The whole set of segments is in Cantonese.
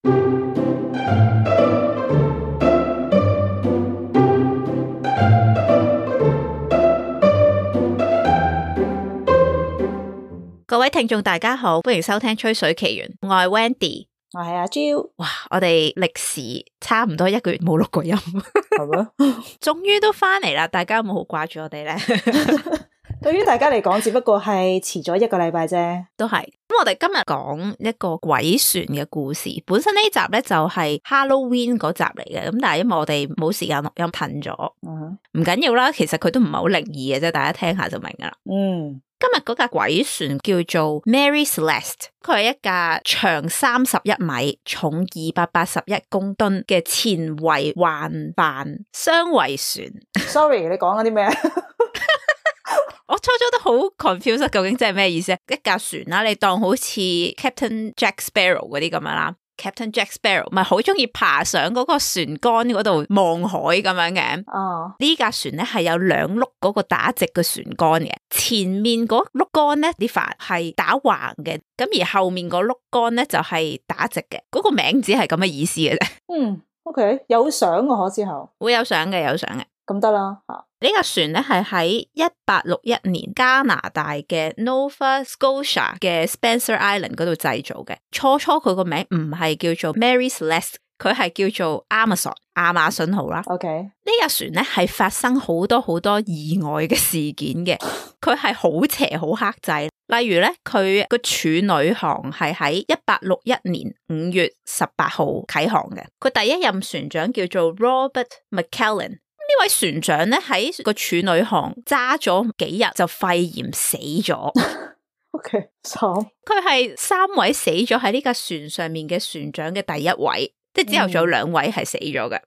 各位聽眾大家好，歡迎收聽吹水奇緣，我係 Wendy， 我係阿 Jill。哇，我哋歷時差唔多1個月冇錄過音，係咩？終於都翻嚟啦！大家有冇好掛住我哋咧？對於大家嚟講，只不過係遲咗1個禮拜啫。都係。咁我哋今日講一個鬼船嘅故事。本身呢集咧就係 Halloween 嗰集嚟嘅，咁但係因為我哋冇時間錄音褪咗，唔緊要啦。其實佢都唔係好靈異嘅啫，大家聽下就明噶啦。今日嗰架鬼船叫做 Mary Celeste， 佢係一架長31米、重281公噸嘅前維環帆雙桅船。Sorry， 你講緊啲咩？我初初都好 confused， 究竟即係咩意思？一架船啦，你當好似 Captain Jack Sparrow 嗰啲咁樣啦。Captain Jack Sparrow 咪好中意爬上嗰個船杆嗰度望海咁樣嘅。呢架船咧係有2碌嗰個打直嘅船杆嘅，前面嗰碌杆咧啲帆係打橫嘅，咁而後面嗰碌杆咧就係打直嘅。嗰個名字係咁嘅意思嘅啫。OK， 有相嘅可之後會有相嘅，有相嘅。咁得啦。呢架船咧係喺1861年加拿大嘅 Nova Scotia 嘅 Spencer Island 嗰度製造嘅。初佢個名唔係叫做 Mary Celeste， 佢係叫做 Amazon 亞馬遜號啦。OK， 呢架船咧係發生好多意外嘅事件嘅，佢係好邪好克制。例如咧，佢個處女航係喺1861年5月18號啟航嘅。佢第一任船長叫做 Robert McClellan。呢位船長咧喺個處女航揸咗幾日就肺炎死咗。OK， 佢係3位死咗喺呢架船上面嘅船長嘅第一位，即係之後仲有2位係死咗嘅。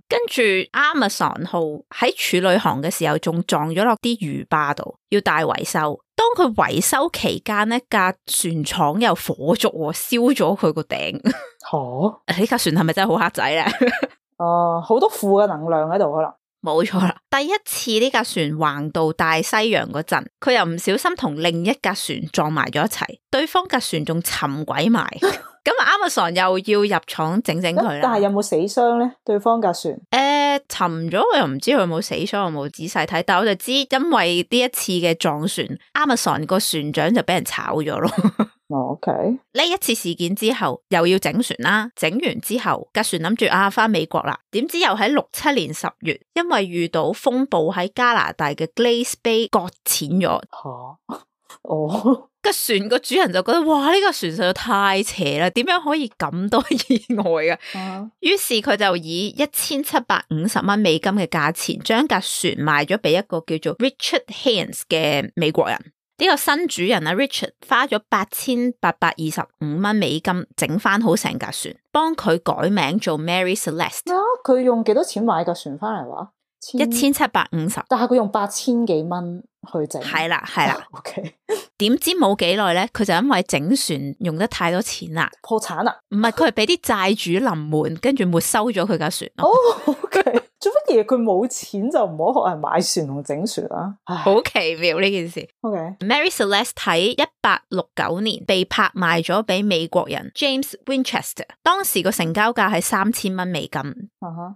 跟住 Amazon 號喺處女航嘅時候仲撞咗落啲魚壩度，要大維修。當佢維修期間呢，架船廠有火燭，燒咗佢個頂。呢架船係咪真係好黑仔咧？好多負嘅能量喺度可能。冇錯啦，第一次呢架船橫渡大西洋嗰陣，佢又唔小心同另一架船撞埋咗一齊，對方架船仲沉鬼埋。咁 Amazon 又要入廠整佢啦。但係有冇死傷咧？對方架船沉咗，我又唔知佢有冇死傷，我冇仔細睇，但我就知因為呢一次嘅撞船 ，Amazon 個船長就俾人炒咗咯。OK， 呢一次事件之後又要整船啦，整完之後架船諗住返美國啦，點知又喺67年10月，因為遇到風暴喺加拿大嘅 Glace Bay 擱淺咗。個船個主人就覺得哇，呢個船實在太邪啦，點樣可以咁多意外啊？於是佢就以1750蚊美金嘅價錢將架船賣咗俾一個叫做 Richard Haynes 嘅美國人。呢個新主人啊 Richard 花咗8825蚊美金整翻好成架船，幫佢改名做 Mary Celeste。佢用幾多錢買架船翻嚟話？1750，但係佢用8000幾蚊去整。係啦。OK， 點知冇幾耐咧，佢就因為整船用得太多錢啦，破產啦。唔係，佢係俾啲債主臨門，跟住沒收咗佢架船。OK， 做乜嘢？佢冇錢就唔好學人買船同整船啊！好奇妙呢件事。Mary Celeste 喺1869年被拍賣咗俾美國人 James Winchester， 當時個成交價係3000蚊美金。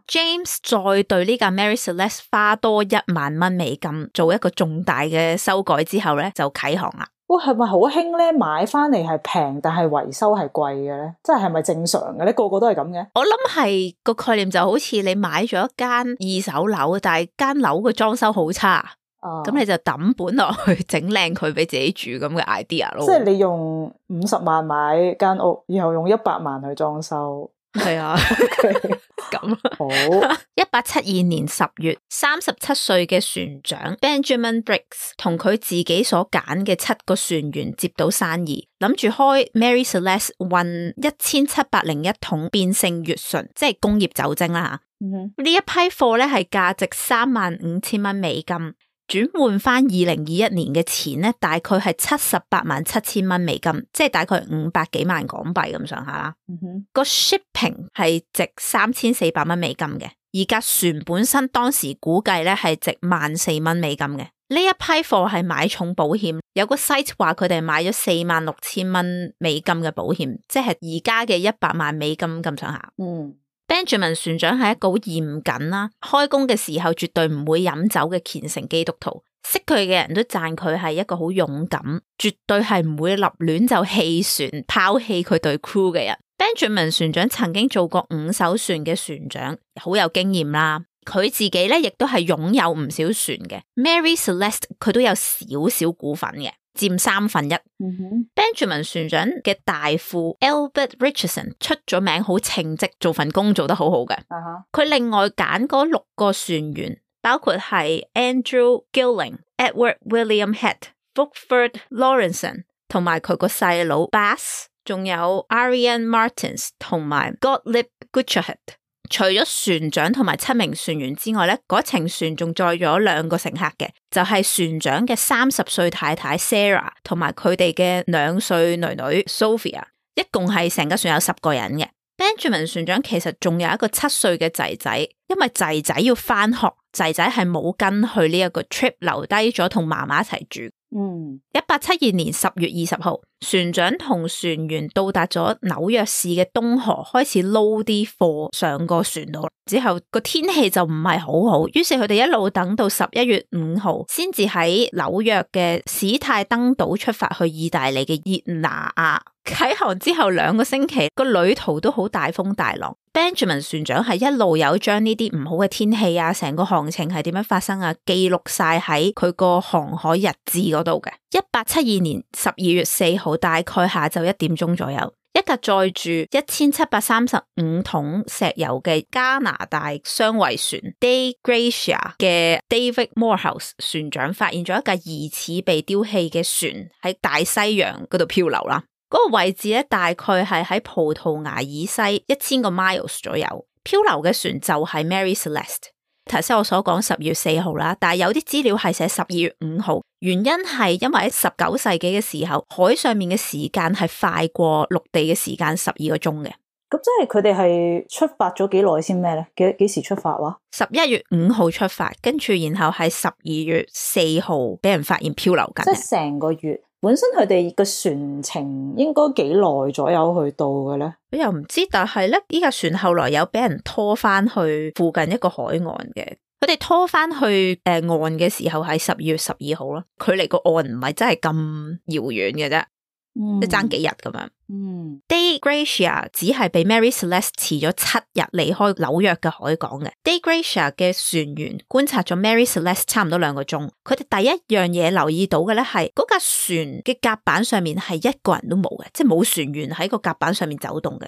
James 再對呢架 Mary Celeste 花多1萬蚊美金做一個重大嘅修改之後咧，就啟航啦。係咪好興咧？買翻嚟係平，但係維修係貴嘅咧？即係咪正常嘅咧？個個都係咁嘅？我諗係個概念就好似你買咗一間2手樓，但係間樓嘅裝修好差，咁你就抌本落去整靚佢俾自己住咁嘅 idea 咯。即係你用50萬買間屋，然後用100萬去裝修。係啊，咁好。1872年10月，37歲嘅船長 Benjamin Briggs 同佢自己所揀嘅7個船員接到生意，諗住開 Mary Celeste 運1701桶變性乙醇，即係工業酒精啦吓。呢一批貨咧係價值35000蚊美金。轉換翻2021年嘅錢咧，大概係787000蚊美金，即係大概500幾萬港幣咁上下啦。個 shipping 係值3400蚊美金嘅，而架船本身當時估計咧係值14000蚊美金嘅。呢一批貨係買重保險，有個 site 話佢哋買咗46,000蚊美金嘅保險，即係而家嘅100萬美金咁上下。Benjamin 船長係一個好嚴謹啦，開工嘅時候絕對唔會飲酒嘅虔誠基督徒，識佢嘅人都讚佢係一個好勇敢，絕對係唔會立亂就棄船拋棄佢對 crew 嘅人。Benjamin 船長曾經做過5艘船嘅船長，好有經驗啦。佢自己咧亦都係擁有唔少船嘅。Mary Celeste 佢都有少少股份嘅，佔1/3。Benjamin 船長嘅大副 Albert Richardson 出咗名好稱職，做份工做得好好嘅。佢另外揀嗰6個船員，包括係 Andrew Gilling、Edward William Head、Fulford Lawrenson 同埋佢個細佬 Bass， 仲有 Arian Martins 同埋 Gottlieb Gutscherhead。除咗船長同埋7名船員之外咧，嗰程船仲載咗2個乘客嘅，就係船長嘅30歲太太 Sarah 同埋佢哋嘅2歲女女 Sophia， 一共係成架船有10個人嘅。Benjamin 船長其實仲有一個7歲嘅仔仔，因為仔仔要返學，仔仔係冇跟去呢一個 trip， 留低咗同媽媽一齊住。1872年10月20號，船長同船員到達咗紐約市嘅東河，開始撈啲貨上個船度。之後個天氣就唔係好好，於是佢哋一路等到11月5號，先至喺紐約嘅史泰登島出發去意大利嘅熱那亞。啟航之後2個星期，個旅途都好大風大浪。Benjamin 船長係一路有將呢啲唔好嘅天氣啊，成個航程係點樣發生啊，記錄晒喺佢個航海日誌嗰度嘅。1872年12月4號，大概下晝1點鐘左右，一架載住1735桶石油嘅加拿大雙桅船 Dei Gracia 嘅 David Morehouse 船長發現咗一架疑似被丟棄嘅船喺大西洋嗰度漂流啦。嗰個位置咧，大概係喺葡萄牙以西1000個 miles 左右。漂流嘅船就係 Mary Celeste。頭先我所講10月4號啦，但係有啲資料係寫12月5號，原因係因為喺19世紀嘅時候，海上面嘅時間係快過陸地嘅時間12個鐘嘅。咁即係佢哋係出發咗幾耐先咩咧？幾時出發話？11月5號出發，跟住然後係12月4號俾人發現漂流緊。即係成個月。本身佢哋個船程應該幾耐左右去到嘅咧？我又唔知，但係咧，呢架船後來有俾人拖翻去附近一個海岸嘅。佢哋拖翻去岸嘅時候係12月12號咯，距離個岸唔係真係咁遙遠嘅啫，即係爭幾日咁樣。Dei Gracia 只係被 Mary Celeste 遲咗7日離開紐約嘅海港嘅。Dei Gracia 嘅船員觀察咗 Mary Celeste 差唔多2個鐘，佢哋第一樣嘢留意到嘅咧係嗰架船嘅甲板上面係一個人都冇嘅，即係冇船員喺個甲板上面走動嘅。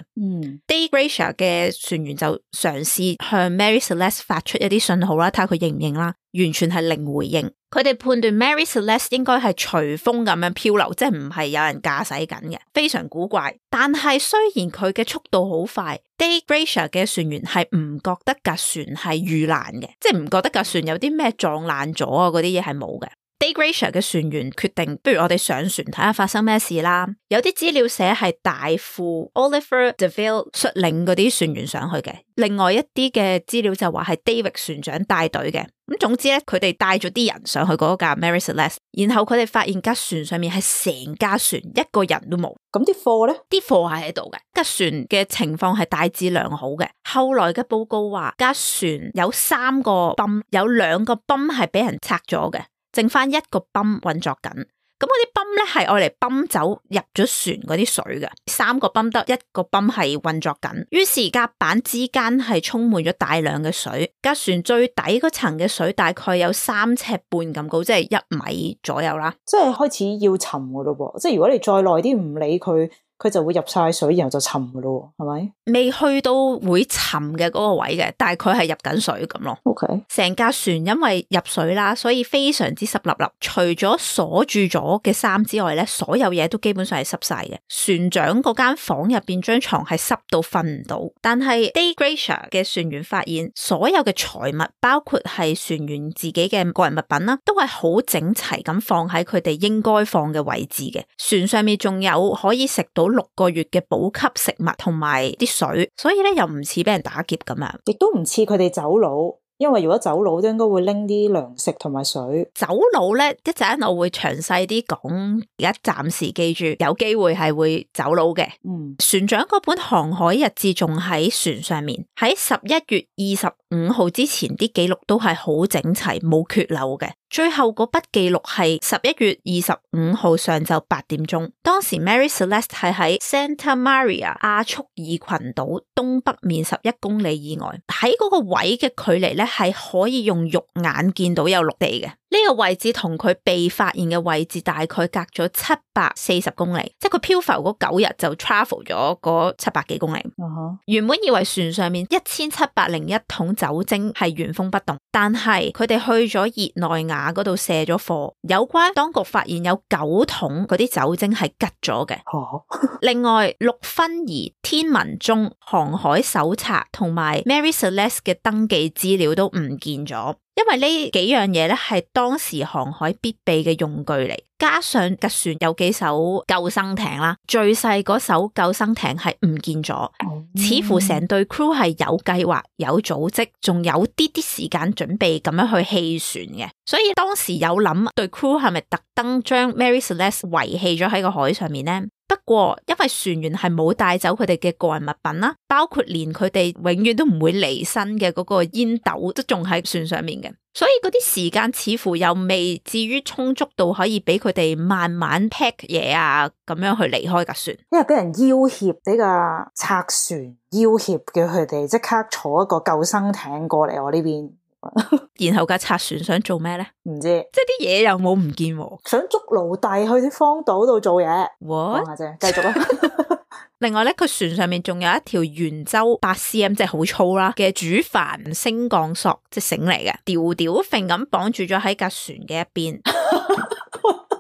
Dei Gracia 嘅船員就嘗試向 Mary Celeste 發出一啲信號啦，睇下佢應唔應啦，完全係零回應。佢哋判斷 Mary Celeste 應該係隨風咁樣漂流，即係唔係有人駕駛緊嘅，非常古怪。但係雖然佢嘅速度好快 Dei Gracia 嘅船員係唔覺得架船係遇難嘅，即係唔覺得架船有啲咩撞爛咗啊，嗰啲嘢係冇嘅。Dei Gracia 嘅船員決定，不如我哋上船睇下發生咩事啦。有啲資料寫係大副 Oliver DeVille 率領嗰啲船員上去嘅，另外一啲嘅資料就話係 David 船長帶隊嘅。咁總之咧，佢哋帶咗啲人上去嗰架 Mary Celeste， 然後佢哋發現架船上面係成架船一個人都冇。咁啲貨咧？啲貨係喺度嘅，架船嘅情況係大致良好嘅。後來嘅報告話，架船有3個泵，有2個泵係俾人拆咗嘅，剩翻1個泵運作緊。咁嗰啲泵咧係愛嚟泵走入咗船嗰啲水嘅，3個泵得1個泵係運作緊。於是甲板之間係充滿咗大量嘅水，架船最底嗰層嘅水大概有3尺半咁高，即係1米左右啦。即係開始要沉噶咯噃，即係如果你再耐啲唔理佢，佢就會入晒水，然後就沉噶咯，係咪？未去到會沉嘅嗰個位嘅，但係佢係入緊水咁咯。OK，成架船因為入水啦，所以非常之濕立立。除咗鎖住咗嘅衫之外咧，所有嘢都基本上係濕晒嘅。船長嗰間房入邊張床係濕到瞓唔到，但係 Dei Gracia 嘅船員發現所有嘅財物，包括係船員自己嘅個人物品啦，都係好整齊咁放喺佢哋應該放嘅位置嘅。船上面仲有可以食到6個月嘅補給食物同埋啲水，所以咧又唔似俾人打劫咁樣，亦都唔似佢哋走佬，因為如果走佬都應該會拎啲糧食同埋水。走佬咧，一陣我會詳細啲講，而家暫時記住有機會係會走佬嘅。船長嗰本航海日誌仲喺船上面，喺11月25號之前啲記錄都係好整齊，冇缺漏嘅。最後嗰筆記錄係11月25號上晝8點鐘，當時 Mary Celeste 係喺 Santa Maria 亞速爾群島東北面11公里以外，喺嗰個位嘅距離咧係可以用肉眼見到有陸地嘅。呢個位置同佢被發現嘅位置大概隔咗740公里，即係佢漂浮嗰9日就 travel 咗嗰700幾公里。原本以為船上面1701桶酒精係原封不動，但係佢哋去咗熱內亞嗰度卸咗貨，有關當局發現有9桶嗰啲酒精係吉咗嘅。另外6分儀、天文鐘、航海手冊同埋 Mary Celeste 嘅登記資料都唔見咗。因為呢幾樣嘢咧係當時航海必備嘅用具嚟，加上架船有幾艘救生艇啦，最細嗰艘救生艇係唔見咗，似乎成隊 crew 係有計劃、有組織，仲有啲時間準備咁樣去棄船嘅，所以當時有諗對 crew 係咪特登將 Mary Celeste 遺棄咗喺個海上面呢？不過因為船員係冇帶走佢哋嘅個人物品啦，包括連佢哋永遠都唔會離身嘅嗰個煙斗都仲喺船上面嘅，所以嗰啲時間似乎又未至於充足到可以俾佢哋慢慢 pack 嘢啊，咁樣去離開架船。因為俾人要挾，俾架賊船要挾，叫佢哋即刻坐一個救生艇過嚟我呢邊。然後架賊船想做咩咧？唔知，即係啲嘢又冇唔見喎，想捉奴隸去啲荒島度做嘢。講下啫，繼續啦。另外咧，佢船上面仲有一條圓周8cm，即係好粗啦嘅主帆升降索，即係繩嚟嘅，吊吊揈咁綁住咗喺架船嘅一邊。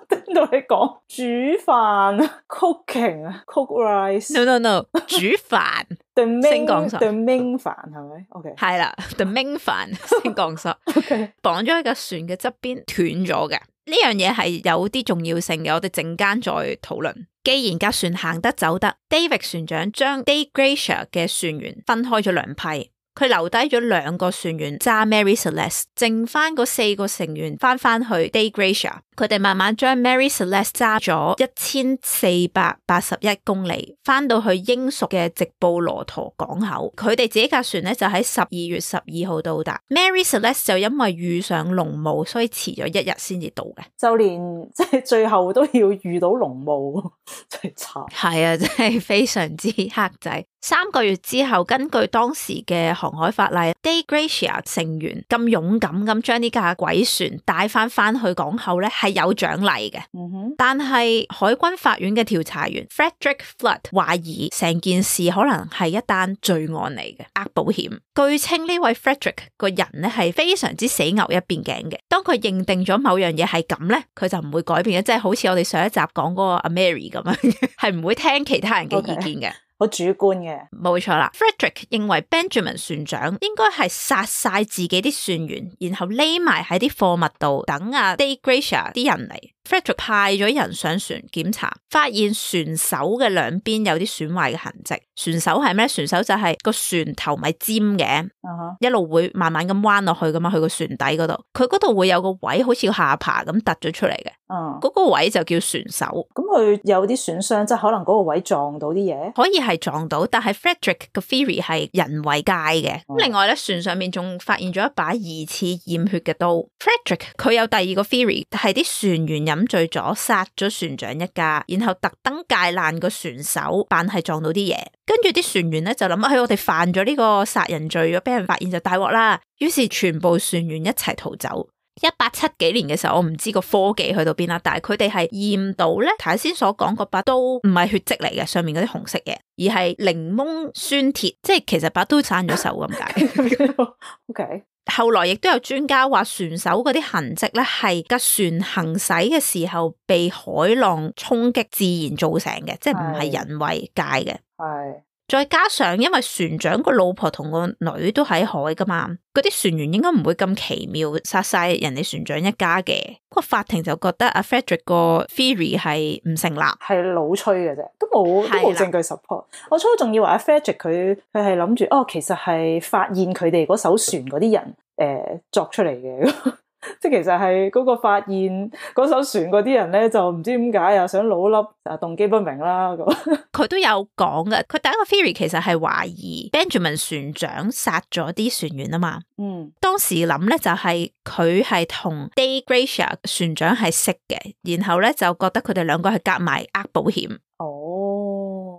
聽到你講煮飯 cooking，cook rice。No， 煮飯。The main 升降索 The main 帆係咪 ？OK， 係啦 ，The main 帆升降索。OK， 綁咗喺架船嘅側邊斷咗嘅。呢樣嘢係有啲重要性嘅，我哋陣間再討論。既然架船行得走得 ，David 船長將 Day Gracia 嘅船員分開咗兩批。佢留低咗2個船員揸 Mary Celeste， 剩翻嗰4個成員翻去 Day Gracia， 佢哋慢慢將 Mary Celeste 揸咗1481公里，翻到去英屬嘅直布羅陀港口。佢哋自己架船咧就喺12月12號到達。Mary Celeste 就因為遇上濃霧，所以遲咗1日先至到嘅。就連即係最後都要遇到濃霧，真係慘。係啊，真係非常之黑仔。3個月之後，根據當時嘅航海法例 ，Day Gracia 成員咁勇敢咁將呢架鬼船帶翻去港口咧，係有獎勵嘅。但係海軍法院嘅調查員 Frederick Flood 懷疑成件事可能係一單罪案嚟嘅，呃保險。據稱呢位 Frederick 個人咧係非常之死牛一邊頸嘅。當佢認定咗某樣嘢係咁咧，佢就唔會改變嘅，即係好似我哋上一集講嗰個阿 Mary 咁樣，係唔會聽其他人嘅意見嘅。好主觀嘅，冇錯啦。Frederick 認為 Benjamin 船長應該係殺晒自己啲船員，然後匿埋喺啲貨物度等啊 Day Gracia 啲人嚟。Frederick 派咗人上船檢查，發現船首嘅兩邊有啲損壞嘅痕跡。船首係咩？船首就係個船頭咪尖嘅，一路會慢慢咁彎落去噶嘛，去個船底嗰度，佢嗰度會有個位好似下巴咁突咗出嚟嘅，嗰個位就叫船首。咁佢有啲損傷，即係可能嗰個位撞到啲嘢，可以係撞到，但係 Frederick 嘅 theory 係人為界嘅。另外咧，船上面仲發現咗一把疑似染血嘅刀。Frederick 佢有第二個 theory， 係啲船員飲醉咗，殺咗船長一家，然後特登界爛個船首，扮係撞到啲嘢。跟住啲船員咧就諗，我哋犯咗呢個殺人罪，如果俾人發現就大鑊啦。於是全部船員一齊逃走。1870幾年嘅時候，我唔知個科技去到邊啦，但係佢哋係驗到咧，頭先所講嗰把刀唔係血跡嚟嘅，上面嗰啲紅色嘅，而係檸檬酸鐵，即係其實把刀散咗手咁解。OK。後來亦都有專家話，船首嗰啲痕跡咧係架船行駛嘅時候被海浪衝擊自然造成嘅，即係唔係人為界嘅。係。再加上因為船長個老婆同個女都喺海噶嘛，嗰啲船員應該唔會咁奇妙殺晒人哋船長一家嘅。個法庭就覺得阿 Frederick 個 theory 係唔成立，係老吹嘅啫，都冇證據 support。我初仲以為阿 Frederick 佢係諗住其實係發現佢哋嗰艘船嗰啲人作出嚟嘅。即係其實係嗰個發現嗰艘船嗰啲人咧，就唔知點解又想老笠，動機不明啦。佢都有講嘅，佢第一個 theory 其實係懷疑 Benjamin 船長殺咗啲船員啊嘛。當時諗咧就係佢係同 Dei Gracia 船長係識嘅，然後咧就覺得佢哋兩個係夾埋呃保險。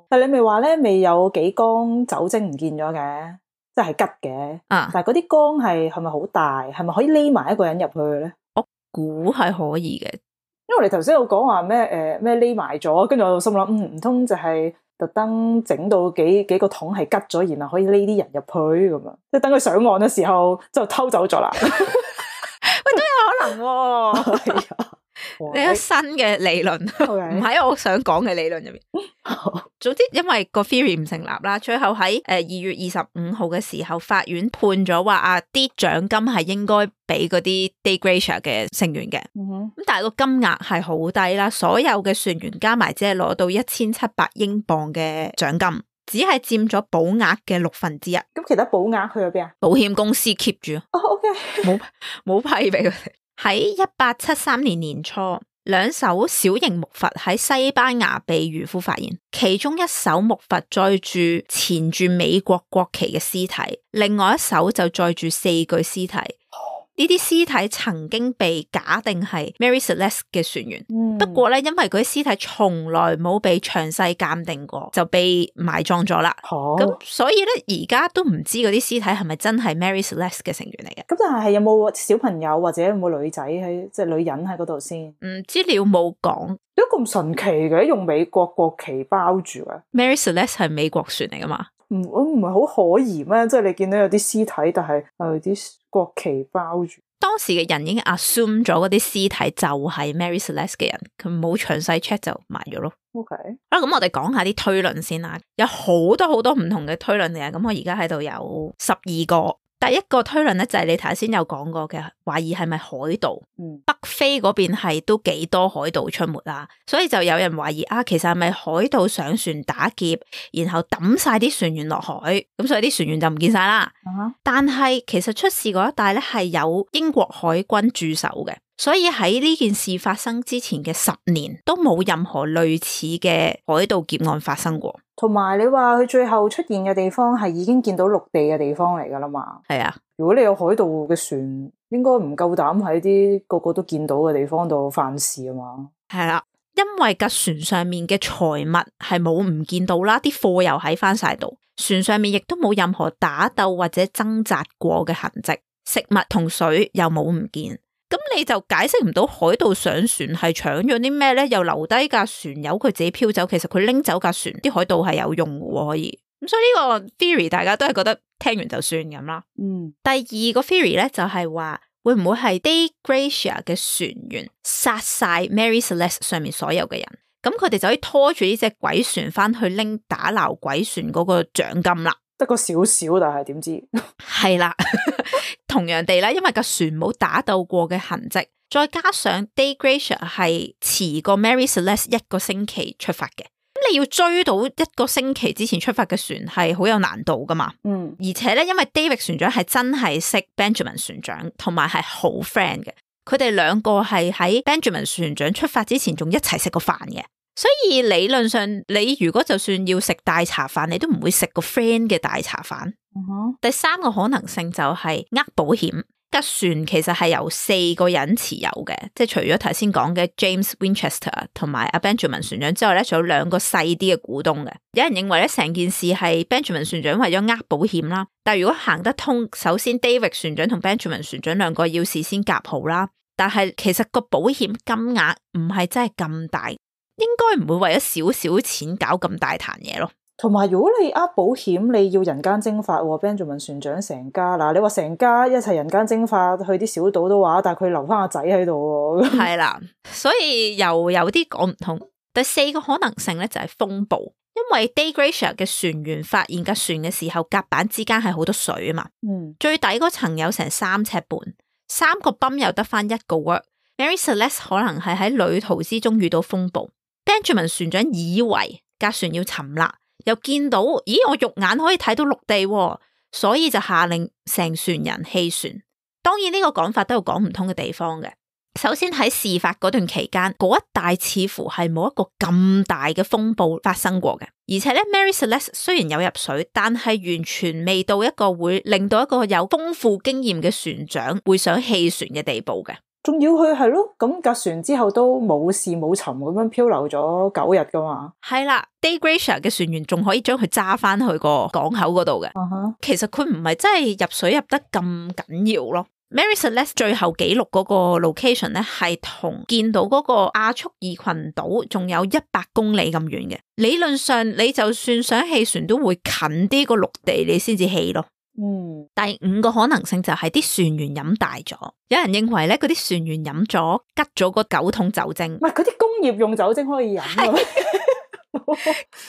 但你咪話咧，未有幾缸酒精唔見咗嘅？即係吉嘅，但係嗰啲缸係咪好大？係咪可以匿埋一個人入去嘅咧？我估係可以嘅，因為我哋頭先有講話咩匿埋咗，跟住我就心諗，唔通就係特登整到幾個桶係吉咗，然後可以匿啲人入去咁樣，即係等佢上岸嘅時候就偷走咗啦。喂，都有可能喎。你有新嘅理論，唔喺我想講嘅理論入面。總之，因為個 theory 唔成立啦，最後喺2月25號嘅時候，法院判咗話啲獎金係應該俾嗰啲 Dei Gracia 嘅成員嘅。咁但係個金額係好低啦，所有嘅船員加埋只係攞到1700英鎊嘅獎金，只係佔咗保額嘅1/6。咁其他保額去咗邊啊？保險公司 keep 住。OK， 冇批俾佢哋。喺1873年年初，2艘小型木筏喺西班牙被漁夫發現，其中一艘木筏載住纏住美國國旗嘅屍體，另外一艘就載住4具屍體。呢啲屍體曾經被假定係 Mary Celeste 嘅船員，不過咧因為嗰啲屍體從來冇被詳細鑑定過，就被埋葬咗啦。咁所以咧而家都唔知嗰啲屍體係咪真係 Mary Celeste 嘅成員嚟嘅。咁但係有冇小朋友或者有冇女仔喺即係女人喺嗰度先？資料冇講。都咁神奇嘅，用美國國旗包住啊 Mary Celeste 係美國船嚟噶嘛？我唔係好可疑咩？即係你見到有啲屍體，但係啲國旗包住。當時嘅人已經 assume 咗嗰啲屍體就係 Mary Celeste 嘅人，佢冇詳細 check 就埋咗咯。OK， 好啦，咁我哋講下啲推論先啦。有好多唔同嘅推論嘅，咁我而家喺度有12個。第一個推論咧就係你頭先有講過嘅，懷疑係咪海盜？北非嗰邊係都幾多海盜出沒啦，所以就有人懷疑其實係咪海盜上船打劫，然後抌晒啲船員落海，咁所以啲船員就唔見晒啦。但係其實出事嗰一帶咧係有英國海軍駐守嘅，所以喺呢件事發生之前嘅10年都冇任何類似嘅海盜劫案發生過。同埋你話佢最後出現嘅地方係已經見到陸地嘅地方嚟噶啦嘛？係啊，如果你有海盜嘅船，應該唔夠膽喺啲個個都見到嘅地方度犯事啊嘛？係啦，因為架船上面嘅財物係冇唔見到啦，啲貨又喺翻晒度，船上面亦都冇任何打鬥或者掙扎過嘅痕跡，食物同水又冇唔見。咁你就解釋唔到海盜上船係搶咗啲咩咧？又留低架船由佢自己飄走，其實佢拎走架船，啲海盜係有用嘅可以。咁所以呢個 theory 大家都係覺得聽完就算咁啦。第二個 theory 咧就係話會唔會係 Dei Gracia 嘅船員殺晒 Mary Celeste 上面所有嘅人，咁佢哋就可以拖住呢隻鬼船翻去拎打撈鬼船嗰個獎金啦。得個少少，但係點知係啦。同樣地啦，因為個船冇打鬥過嘅痕跡，再加上 Dei Gracia 係遲過 Mary Celeste 1個星期出發嘅，咁你要追到1個星期之前出發嘅船係好有難度噶嘛。而且咧，因為 David 船長係真係識 Benjamin 船長，同埋係好 friend 嘅，佢哋兩個係喺 Benjamin 船長出發之前仲一齊食過飯嘅。所以理論上，你如果就算要食大茶飯，你都唔會食個 friend 嘅大茶飯。第三個可能性就係保險。架船其實係由4個人持有嘅，即係除咗頭先講嘅 James Winchester 同埋阿 Benjamin 船長之外咧，仲有2個細啲嘅股東嘅。有人認為咧，成件事係 Benjamin 船長為咗保險啦。但係如果行得通，首先 David 船長同 Benjamin 船長2個要事先夾好啦。但係其實個保險金額唔係真係咁大。應該唔會為咗少少錢搞咁大壇嘢咯。同埋如果你保險，你要人間蒸發喎 ，Benjamin 船長成家嗱，你話成家一齊人間蒸發去啲小島都話，但係佢留翻個仔喺度喎。係啦，所以又有啲講唔通。第4個可能性咧就係風暴，因為 Dei Gracia 嘅船員發現架船嘅時候，甲板之間係好多水啊嘛。最底嗰層有成3尺半，3個泵又得翻1個 work。Mary Celeste 可能係喺旅途之中遇到風暴。Benjamin 船長以為架船要沉啦，又見到咦我肉眼可以睇到陸地喎，所以就下令成船人棄船。當然呢個講法都有講唔通嘅地方嘅。首先喺事發嗰段期間，嗰一帶似乎係冇一個咁大嘅風暴發生過嘅，而且咧 Mary Celeste 雖然有入水，但係完全未到一個會令到一個有豐富經驗嘅船長會想棄船嘅地步嘅。仲要佢係咯，咁架船之後都冇事冇沉咁樣漂流咗9日噶嘛。係啦 ，Day Gracier 嘅船員仲可以將佢揸翻去個港口嗰度嘅。其實佢唔係真係入水入得咁緊要咯。Mary Celeste 最後記錄嗰個 location 咧，係同見到嗰個亞速爾群島仲有100公里咁遠嘅。理論上你就算想棄船都會近啲個陸地你先至棄咯。第5個可能性就係啲船員飲大咗，有人認為咧嗰啲船員飲咗吉咗個9桶酒精。唔係嗰啲工業用酒精可以飲啊。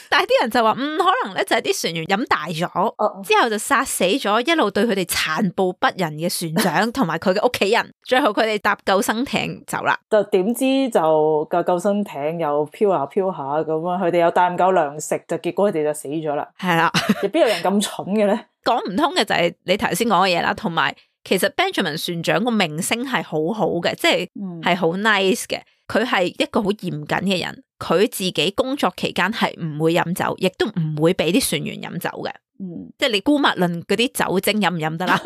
但係啲人就話可能咧就係啲船員飲大咗，之後就殺死咗一路對佢哋殘暴不仁嘅船長同埋佢嘅屋企人，最後佢哋搭救生艇走啦。就點知就個救生艇又飄下飄下咁啊，佢哋又帶唔夠糧食，就結果佢哋就死咗啦。係啦，邊有人咁蠢嘅咧？講唔通嘅就係你頭先講嘅嘢啦，同埋其實 Benjamin 船長個名聲係好好嘅，即係好 nice 嘅。佢係一個好嚴謹嘅人，佢自己工作期間係唔會飲酒，亦都唔會俾啲船員飲酒嘅。即係你姑勿論嗰啲酒精飲唔飲得啦。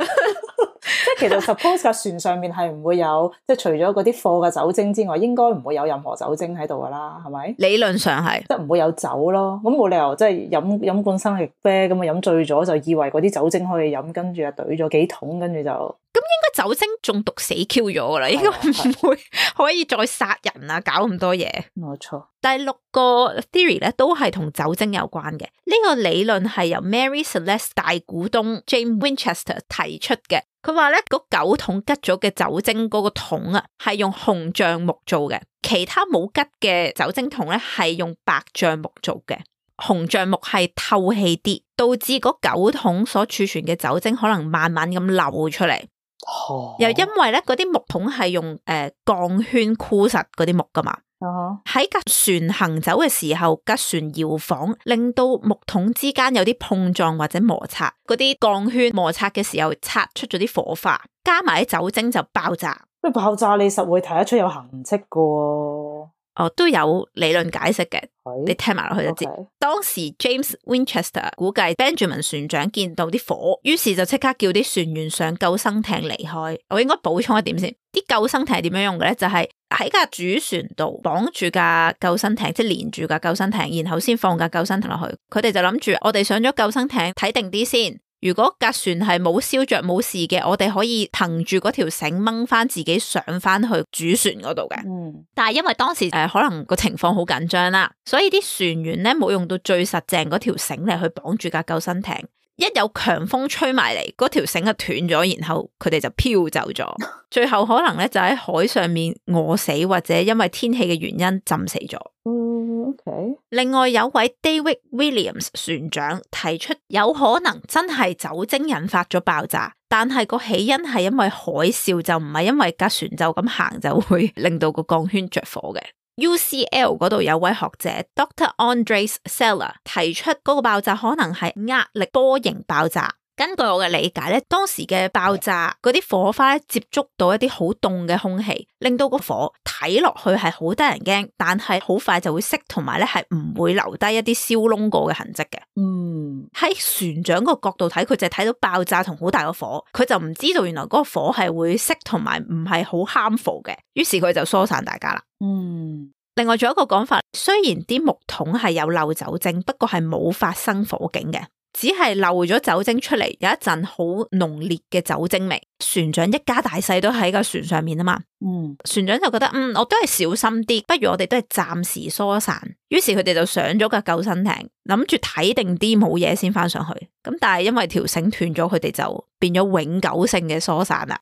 即係其實 suppose 架船上面係唔會有，即係除咗嗰啲貨嘅酒精之外，應該唔會有任何酒精喺度噶啦，係咪？理論上係，即係唔會有酒咯。咁冇理由即係飲罐生力啤咁啊，飲醉咗就以為嗰啲酒精可以飲，跟住啊懟咗幾桶，跟住就咁應該酒精中毒死 Q 咗噶啦，應該唔會可以再殺人啊，搞咁多嘢。冇錯。第6個 theory 咧都係同酒精有關嘅。呢個理論係由 Mary Celeste 大股東 James Winchester 提出嘅。佢話咧嗰9桶吉咗嘅酒精嗰個桶啊，係用紅橡木做嘅，其他冇吉嘅酒精桶咧係用白橡木做嘅。紅橡木係透氣啲，導致嗰9桶所儲存嘅酒精可能慢慢咁流出嚟。又因為咧嗰啲木桶係用鋼圈箍實嗰啲木噶嘛。喺架船行走嘅時候，架船搖晃，令到木桶之間有啲碰撞或者摩擦，嗰啲鋼圈摩擦嘅時候擦出咗啲火花，加埋啲酒精就爆炸。爆炸你實會睇得出有痕跡噶喎。都有理論解釋嘅，你聽埋落去就知。當時 James Winchester 估計 Benjamin 船長見到啲火，於是就即刻叫啲船員上救生艇離開。我應該補充一點先，啲救生艇係點樣用嘅咧？就係喺架主船度綁住架救生艇，即係連住架救生艇，然後先放架救生艇落去。佢哋就諗住我哋上咗救生艇睇定啲先。如果架船係冇燒着冇事嘅，我哋可以憑住嗰條繩掹翻自己上翻去主船嗰度嘅。但係因為當時可能個情況好緊張啦，所以啲船員咧冇用到最實淨嗰條繩嚟去綁住架救生艇。一有強風吹埋嚟，嗰條繩就斷咗，然後佢哋就飄走咗。最後可能咧就喺海上面餓死，或者因為天氣嘅原因浸死咗。Okay. 另外有位 David Williams 船長提出有可能真係酒精引發咗爆炸，但係個起因係因為海嘯，就唔係因為架船就咁行就會令到個鋼圈着火嘅。UCL 嗰度有位學者 Dr. Andres Sella 提出嗰個爆炸可能係壓力波形爆炸。根據我嘅理解咧，當時嘅爆炸嗰啲火花接觸到一啲好凍嘅空氣，令到個火睇落去係好得人驚，但係好快就會熄，同埋咧係唔會留低一啲燒窿過嘅痕跡嘅。喺船長個角度睇，佢就係睇到爆炸同好大個火，佢就唔知道原來嗰個火係會熄，同埋唔係好 harmful 嘅，於是佢就疏散大家啦。另外仲有一個講法，雖然啲木桶係有漏酒精，不過係冇發生火警嘅。只係漏咗酒精出嚟，有一陣好濃烈嘅酒精味。船長一家大細都喺個船上面啊嘛。船長就覺得我都係小心啲，不如我哋都係暫時疏散。於是佢哋就上咗架救生艇，諗住睇定啲冇嘢先翻上去。咁但係因為條繩斷咗，佢哋就變咗永久性嘅疏散啦。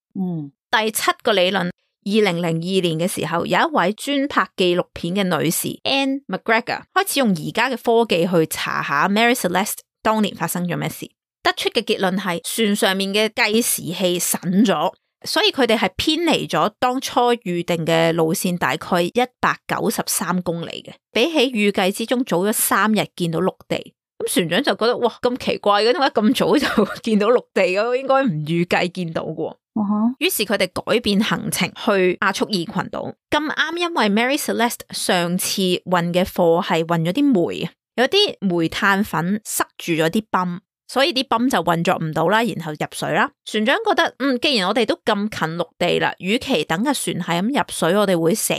第7個理論，2002年嘅時候，有一位專拍紀錄片嘅女士 Anne McGregor 開始用而家嘅科技去查下 Mary Celeste當年發生咗咩事，得出嘅結論係船上面嘅計時器腎咗，所以佢哋係偏離咗當初預定嘅路線大概193公里嘅，比起預計之中早咗3日見到陸地。咁船長就覺得哇，咁奇怪嘅，點解咁早就見到陸地嘅？應該唔預計見到嘅。於是佢哋改變行程去亞速爾群島。咁啱因為 Mary Celeste 上次運嘅貨係運咗啲煤，有啲煤炭粉塞住咗啲泵，所以啲泵就運作唔到啦，然後入水啦。船長覺得既然我哋都咁近陸地啦，與其等架船係咁入水我哋會死，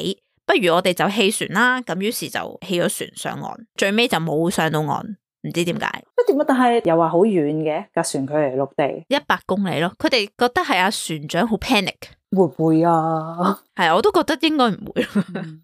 不如我哋就棄船啦。咁於是就棄咗船上岸，最尾就冇上到岸。唔知點解？但係又話好遠嘅架船距離陸地100公里咯。佢哋覺得係阿船長好 panic， 會唔會啊？係，我都覺得應該唔會。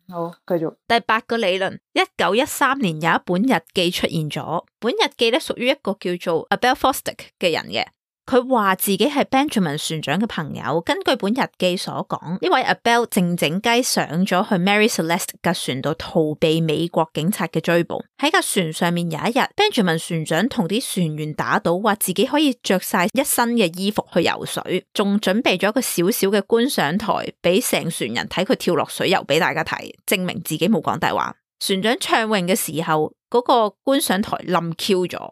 好，繼續。第8個理論，1913年有一本日記出現咗，本日記咧屬於一個叫做 Abel Fosdick 嘅人嘅。佢話自己係 Benjamin 船長嘅朋友，根據本日記所講，呢位 Abel 靜靜雞上咗去 Mary Celeste 架船度逃避美國警察嘅追捕。喺架船上面有一日 ，Benjamin 船長同啲船員打賭，話自己可以着晒一身嘅衣服去游水，仲準備咗一個小小嘅觀賞台，俾成船人睇佢跳落水游俾大家睇，證明自己冇講大話。船長暢泳嘅時候，嗰個觀賞台冧 Q 咗，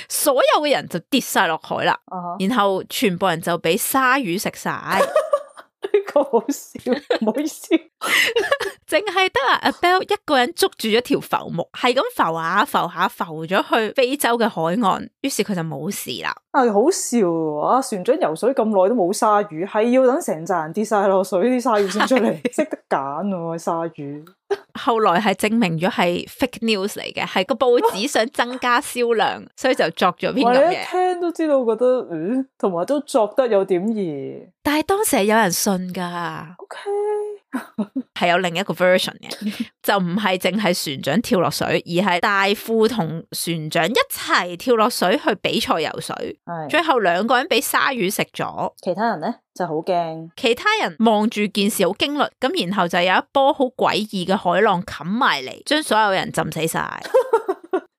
所有嘅人就跌晒落海啦，然後全部人就俾鯊魚食晒。呢個好笑，唔好意思，淨係得阿 Abel 一個人捉住咗條浮木，係咁浮下浮下浮咗去非洲嘅海岸，於是佢就冇事啦。好笑喎！船長游水咁耐都冇鯊魚，係要等成扎人跌晒落水，啲鯊魚先出嚟，識得揀喎鯊魚。後來係證明咗係 fake news 嚟嘅，係個報紙想增加銷量，所以就作咗篇咁嘢。我一聽都知道，覺得同埋都作得有點兒。但係當時係有人信噶。OK，係有另一個 version 嘅，就唔係淨係船長跳落水，而係大副同船長一齊跳落水去比賽游水。最後2個人俾鯊魚食咗，其他人呢就好驚。其他人望住件事好驚慄，咁然後就有一波好詭異嘅海浪冚埋嚟，將所有人浸死晒。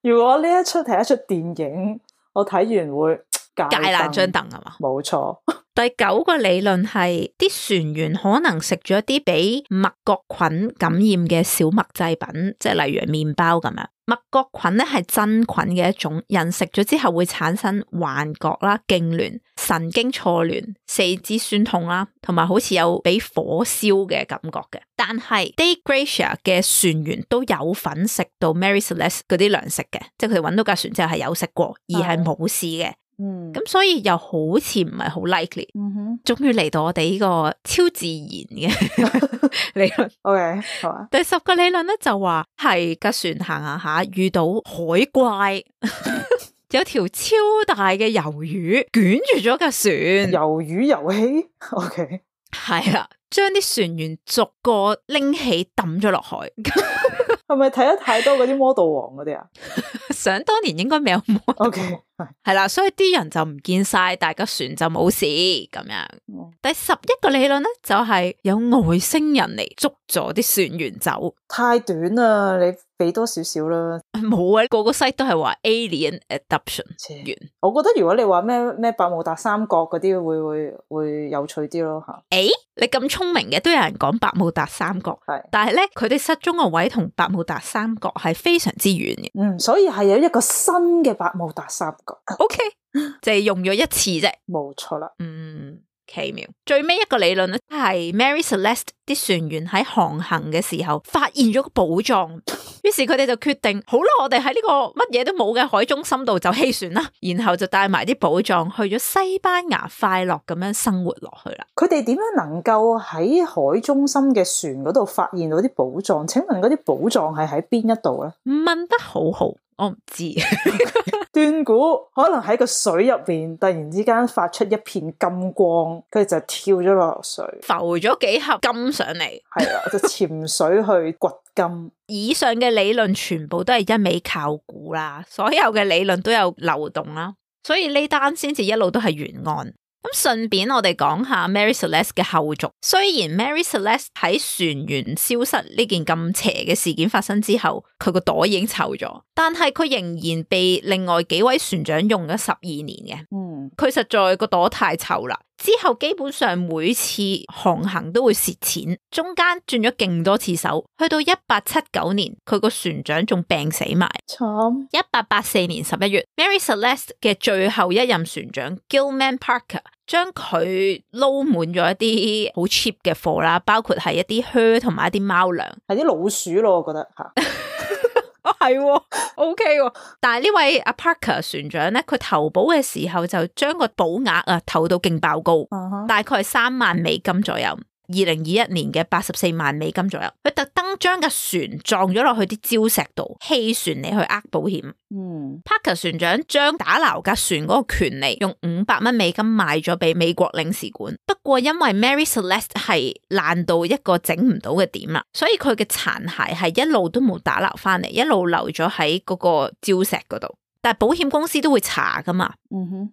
如果呢一出係一出電影，我睇完會戒爛張凳係嘛？冇錯。第9個理論係啲船員可能食咗一啲俾麥角菌感染嘅小麥製品，即係例如麵包咁樣。麥角菌咧係真菌嘅一種，人食咗之後會產生幻覺啦、痙攣、神經錯亂、四肢酸痛啦，同埋好似有俾火燒嘅感覺嘅。但係 Dei Gracia 嘅船員都有份食到 Mary Celeste 嗰啲糧食嘅，即係佢哋揾到架船之後係有食過，而係冇事嘅。咁所以又好似唔係好 likely。終於嚟到我哋呢個超自然嘅理論。OK， 好啊。第10個理論咧就話係架船行下遇到海怪，有條超大嘅魷魚捲住咗架船。魷魚遊戲 OK， 係啦，將啲船員逐個拎起抌咗落海。係咪睇得太多嗰啲魔盜王嗰啲啊？想當年應該未有魔盜。OK， 係啦，所以啲人就唔見晒，大架船就冇事咁樣。第11個理論咧就係有外星人嚟捉咗啲船員走。太短啦，你俾多少少啦。冇啊，個個 site 都係話 alien adoption 完。我覺得如果你話咩百慕達三角嗰啲會有趣啲咯吓。你咁聰明嘅，都有人講百慕達三角，但係咧佢哋失蹤個位同百慕達三角係非常之遠嘅。所以係有一個新嘅百慕達三角。OK， 就係用咗一次啫。冇錯啦。奇妙。最尾一個理論咧係 Mary Celeste 啲船員喺航行嘅時候發現咗個寶藏，於是佢哋就決定，好啦，我哋喺呢個乜嘢都冇嘅海中心度就棄船啦，然後就帶埋啲寶藏去咗西班牙，快樂咁樣生活落去啦。佢哋點樣能夠喺海中心嘅船嗰度發現到啲寶藏？請問嗰啲寶藏係喺邊一度咧？問得好好。我唔知，斷估可能喺個水入邊突然之間發出一片金光，佢就跳咗落水，浮咗幾盒金上嚟，係啦，就潛水去掘金。以上嘅理論全部都係一味靠估啦，所有嘅理論都有漏洞啦，所以呢單先至一路都係懸案。咁順便我哋講下 Mary Celeste 嘅後續。雖然 Mary Celeste 喺船員消失呢件咁邪嘅事件發生之後，佢個袋已經臭咗，但係佢仍然被另外幾位船長用咗12年嘅。佢實在個朵太臭啦。之後基本上每次航行都會蝕錢，中間轉咗勁多次手，去到1879年佢個船長仲病死埋。慘。1884年11月 Mary Celeste 嘅最後一任船長 Gilman Parker 將佢撈滿咗一啲好 cheap 嘅貨啦，包括係一啲靴同埋一啲貓糧，係啲老鼠咯，我覺得吓。係，OK 喎。但係呢位阿 Parker 船長咧，佢投保嘅時候就將個保額啊投到勁爆高，大概係3萬美金左右。2021年嘅84萬美金左右，佢特登將架船撞咗落去啲礁石度，棄船嚟去呃保險。Parker 船長將打撈架船嗰個權利用500蚊美金賣咗俾美國領事館。不過因為 Mary Celeste 係爛到一個整唔到嘅點啦，所以佢嘅殘骸係一路都冇打撈翻嚟，一路留咗喺嗰個礁石嗰度。但係保險公司都會查噶嘛。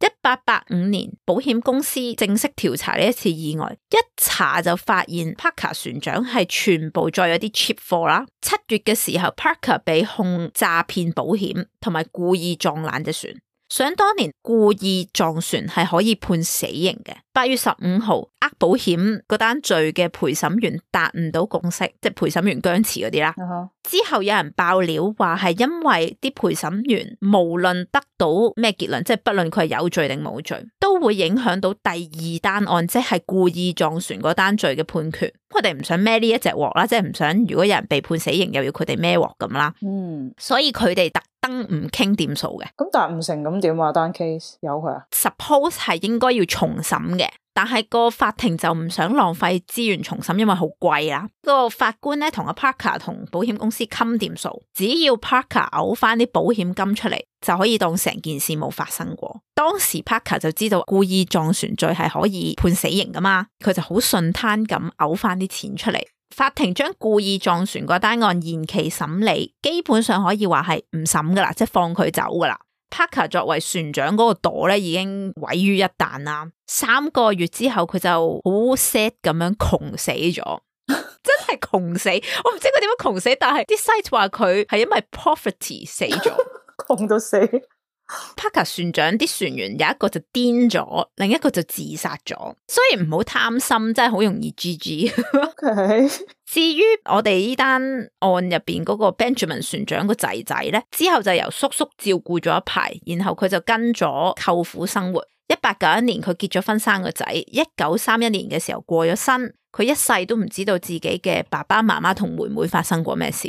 1885年保險公司正式調查呢一次意外，一查就發現 Parker 船長係全部載有啲 cheap 貨啦。7月嘅時候 Parker 被控詐騙保險同埋故意撞爛隻船。想當年故意撞船係可以判死刑嘅。8月15號呃保險嗰單罪嘅陪審員達唔到共識，即係陪審員僵持嗰啲啦。之後有人爆料話係因為啲陪審員無論得到咩結論，即係不論佢係有罪定冇罪，都會影響到第2單案，即係故意撞船嗰單罪嘅判決。佢哋唔想孭呢一隻鑊啦，即係唔想如果有人被判死刑又要佢哋孭鑊咁啦。所以佢哋特登唔傾掂數嘅。咁但係唔成咁點啊？單 case 有佢啊 ？Suppose 係應該要重審嘅。但係個法庭就唔想浪費資源重審，因為好貴啦。個法官咧同阿 Parker 同保險公司冚掂數，只要 Parker 嘔翻啲保險金出嚟，就可以當成件事冇發生過。當時 Parker 就知道故意撞船罪係可以判死刑噶嘛，佢就好順攤咁嘔翻啲錢出嚟。法庭將故意撞船嗰單案延期審理，基本上可以話係唔審噶啦，即係放佢走噶啦。Parker 作為船長嗰個朵咧已經毀於一旦啦。3個月之後佢就好 sad 咁樣窮死咗，真係窮死。我唔知佢點樣窮死，但係啲 site 話佢係因為 poverty 死咗，窮到死。Parker 船長啲船員有一個就癲咗，另一個就自殺咗。所以唔好貪心，真係好容易 GG。至於我哋呢單案入邊嗰個 Benjamin 船長個仔仔咧，之後就由叔叔照顧咗一排，然後佢就跟咗舅父生活。1891年佢結咗婚生個仔，1931年嘅時候過咗身。佢一世都唔知道自己嘅爸爸媽媽同妹妹發生過咩事。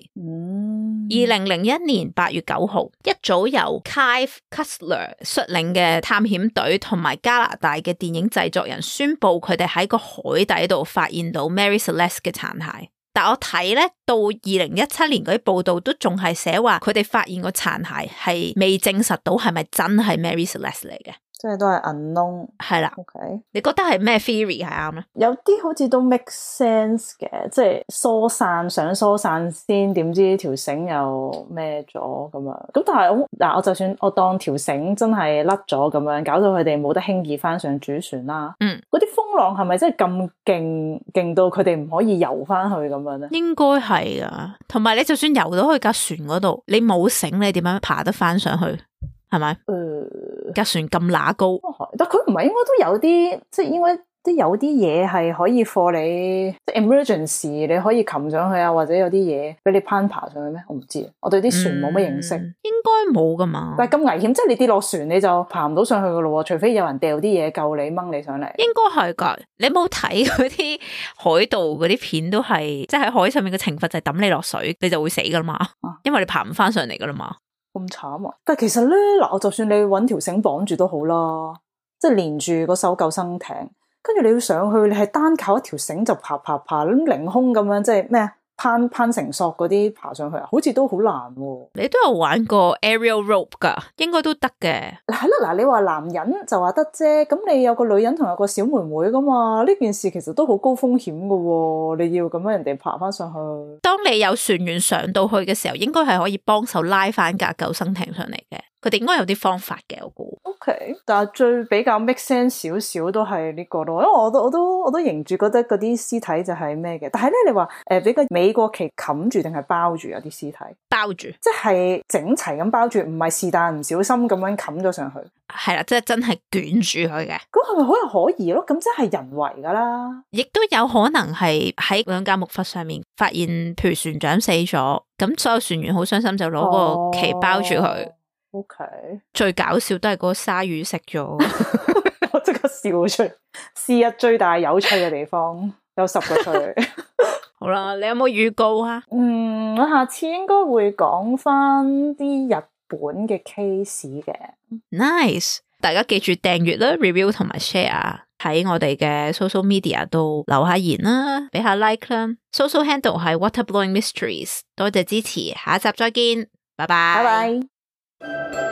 2001年8月9號，一組由 Clive Cussler 率領嘅探險隊同埋加拿大嘅電影製作人宣布，佢哋喺個海底度發現到 Mary Celeste 嘅殘骸。但我睇咧到2017年嗰啲報道都仲係寫話，佢哋發現個殘骸係未證實到係咪真係 Mary Celeste 嚟嘅。即係都係 unknown，係啦。OK，你覺得係咩 theory 係啱咧？有啲好似都 make sense 嘅，即係疏散想疏散先，點知條繩又咩咗咁樣。咁但係嗱，我就算我當條繩真係甩咗咁樣，搞到佢哋冇得輕易翻上主船啦。嗰啲風浪係咪真係咁勁到佢哋唔可以游翻去咁樣咧？應該係啊。同埋你就算游到去架船嗰度，你冇繩，你點樣爬得翻上去？係咪？架船咁乸高，但佢唔係應該都有啲，即係應該都有啲嘢係可以貨你，即係 emergency 你可以擒上去啊，或者有啲嘢俾你攀爬上去咩？我唔知，我對啲船冇乜認識。應該冇噶嘛。但係咁危險，即係你跌落船你就爬唔到上去噶咯，除非有人掉啲嘢救你掹你上嚟。應該係噶，你冇睇嗰啲海盜嗰啲片都係，即係喺海上面嘅懲罰就係抌你落水，你就會死噶嘛，因為你爬唔翻上嚟噶啦嘛。咁慘啊！但係其實咧，嗱，我就算你搵條繩綁住都好啦，即係連住嗰艘救生艇，跟住你要上去，你係單靠一條繩就爬咁凌空咁樣，即係咩攀繩索嗰啲爬上去啊，好似都好難喎。你都有玩過 aerial rope 噶，應該都得嘅。係咯，嗱，你話男人就話得啫，咁你有個女人同有個小妹妹噶嘛？呢件事其實都好高風險噶喎，你要咁樣人哋爬翻上去。當你有船員上到去嘅時候，應該係可以幫手拉翻架救生艇上嚟嘅。佢哋應該有啲方法嘅，我估。OK， 但係最比較 make sense 少少都係呢個咯，因為我都認住覺得嗰啲屍體就係咩嘅。但係咧，你話俾個美國旗冚住定係包住有啲屍體？包住，即係整齊咁包住，唔係是但唔小心咁樣冚咗上去。係啦，即係真係捲住佢嘅。咁係咪好有可疑咯？咁即係人為噶啦。亦都有可能係喺兩架木筏上面發現，譬如船長死咗，咁所有船員好傷心就攞個旗包住佢。OK， 最搞笑都係嗰個鯊魚食咗，我即刻笑出嚟。是日最大有趣嘅地方有10個趣。好啦，你有冇預告啊？我下次應該會講翻啲日本嘅 case 嘅。Nice， 大家記住訂閱啦、review 同埋 share， 喺我哋嘅 social media 度留下言啦，俾下 like 啦。social handle 係 Waterblowing Mysteries， 多謝支持，下一集再見，拜拜。拜拜。